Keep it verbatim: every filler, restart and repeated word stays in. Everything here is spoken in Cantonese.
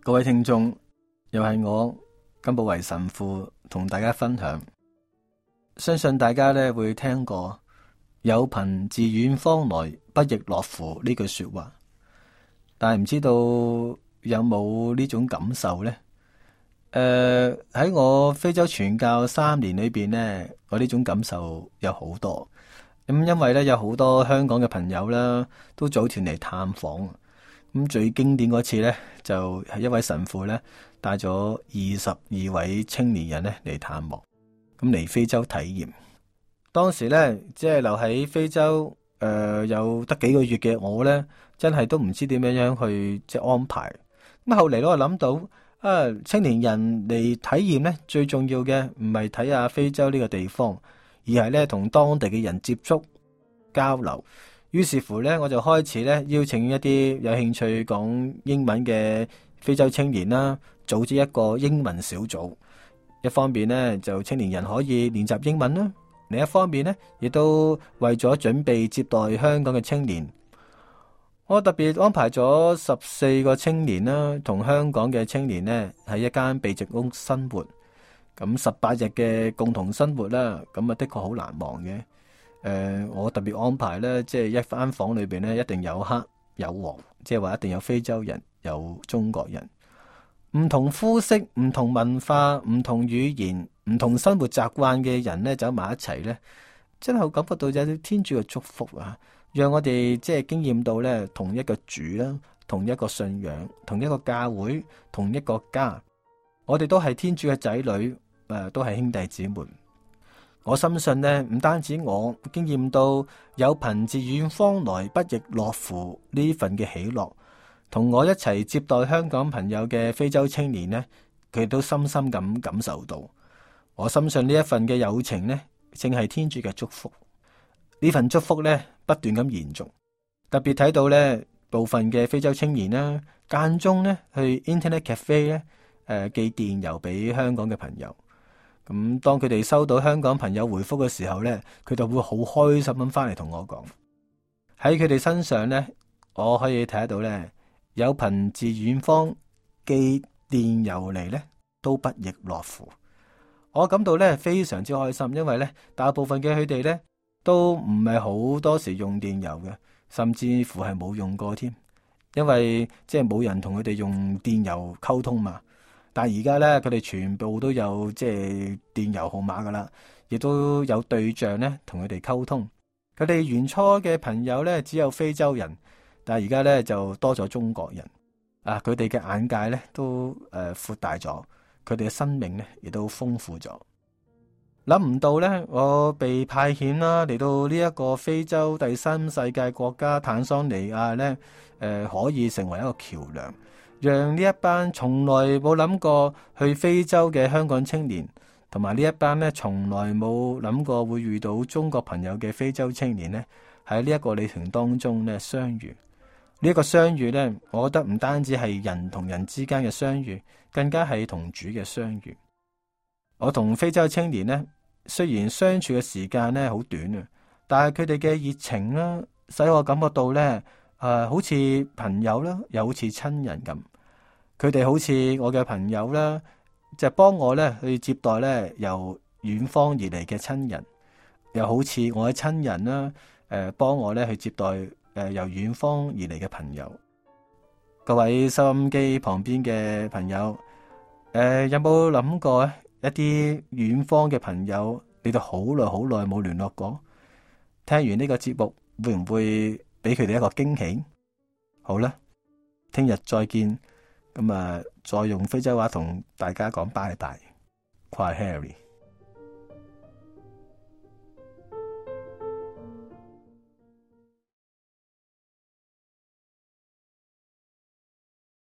各位聽眾，又係我甘寶為神父同大家分享。相信大家咧會聽過有朋自遠方來，不亦樂乎呢句說話，但係唔知道有冇呢種感受呢？誒、呃，喺我非洲傳教三年裏邊呢，我呢種感受有好多。咁因為咧有好多香港嘅朋友啦，都組團嚟探訪。咁最經典嗰次呢，就係一位神父呢帶咗二十二位青年人呢嚟探望，咁嚟非洲體驗。當時呢，即係留喺非洲，誒、呃，有得幾個月嘅我呢，真係都唔知點樣樣去即係安排。咁後嚟我諗到，啊，青年人嚟體驗呢，最重要嘅唔係睇下非洲呢個地方，而係呢同當地嘅人接觸交流。於是乎咧，我就開始咧邀請一啲有興趣講英文嘅非洲青年啦，組織一個英文小組。一方面呢，就青年人可以練習英文啦；另一方面呢，亦都為咗準備接待香港嘅青年，我特別安排咗十四個青年啦，同香港嘅青年呢喺一間避靜屋生活。咁十八日嘅共同生活啦，咁啊的確好難忘嘅。誒、呃，我特別安排咧，即係一間房裏邊咧，一定有黑有黃，即係話一定有非洲人，有中國人，唔同膚色、唔同文化、唔同語言、唔同生活習慣嘅人咧，走埋一齊咧，真係感覺到有啲天主嘅祝福啊！讓我哋即係經驗到咧，同一個主啦，同一個信仰，同一個教會，同一個家，我哋都係天主嘅仔女，誒、呃，都係兄弟姊妹。我深信呢，唔單止我經驗到有朋自遠方來，不亦樂乎呢份嘅喜樂，同我一齊接待香港朋友嘅非洲青年呢，佢都深深咁感受到。我深信呢一份嘅友情呢，正係天主嘅祝福。呢份祝福呢，不斷咁延續。特別睇到呢部分嘅非洲青年啦，間中呢去 Internet Cafe 咧，誒、呃、寄電郵俾香港嘅朋友。咁當佢哋收到香港朋友回覆嘅時候呢，佢就會好開心咁翻嚟同我講。喺佢哋身上呢，我可以睇得到呢，有朋自遠方寄電郵嚟呢，都不亦樂乎。我感到呢非常之開心，因為呢大部分嘅佢哋呢都唔係好多時用電郵嘅，甚至乎係冇用過添，因為即係冇人同佢哋用電郵溝通嘛。但係而家咧，佢哋全部都有即係電郵號碼噶啦，亦都有對象咧同佢哋溝通。佢哋原初嘅朋友咧只有非洲人，但係而家咧就多咗中國人。啊，佢哋嘅眼界咧都誒、呃、闊大咗，佢哋嘅生命咧亦都豐富咗。諗唔到咧，我被派遣啦嚟到呢一個非洲第三世界國家坦桑尼亞咧，誒、呃、可以成為一個橋樑。讓呢一班從來冇諗過去非洲嘅香港青年，同埋呢一班咧從來冇諗過會遇到中國朋友嘅非洲青年呢，喺呢一個旅程當中咧相遇。呢、這、一個相遇呢，我覺得唔單止係人同人之間嘅相遇，更加係同主嘅相遇。我同非洲青年呢，雖然相處嘅時間呢好短啊，但係佢哋嘅熱情啦，使我感覺到呢。誒、呃，好似朋友啦，又好似親人咁。佢哋好似我嘅朋友啦，就幫我咧去接待咧由遠方而嚟嘅親人，又好似我嘅親人啦，誒、呃，幫我咧去接待誒、呃、由遠方而嚟嘅朋友。各位收音機旁邊嘅朋友，誒、呃，有冇諗過一啲遠方嘅朋友，你哋好耐好耐冇聯絡過？聽完呢個節目，會唔會俾佢哋一個驚喜？好啦，聽日再見。咁啊，再用非洲話同大家講拜拜，Kwaheri。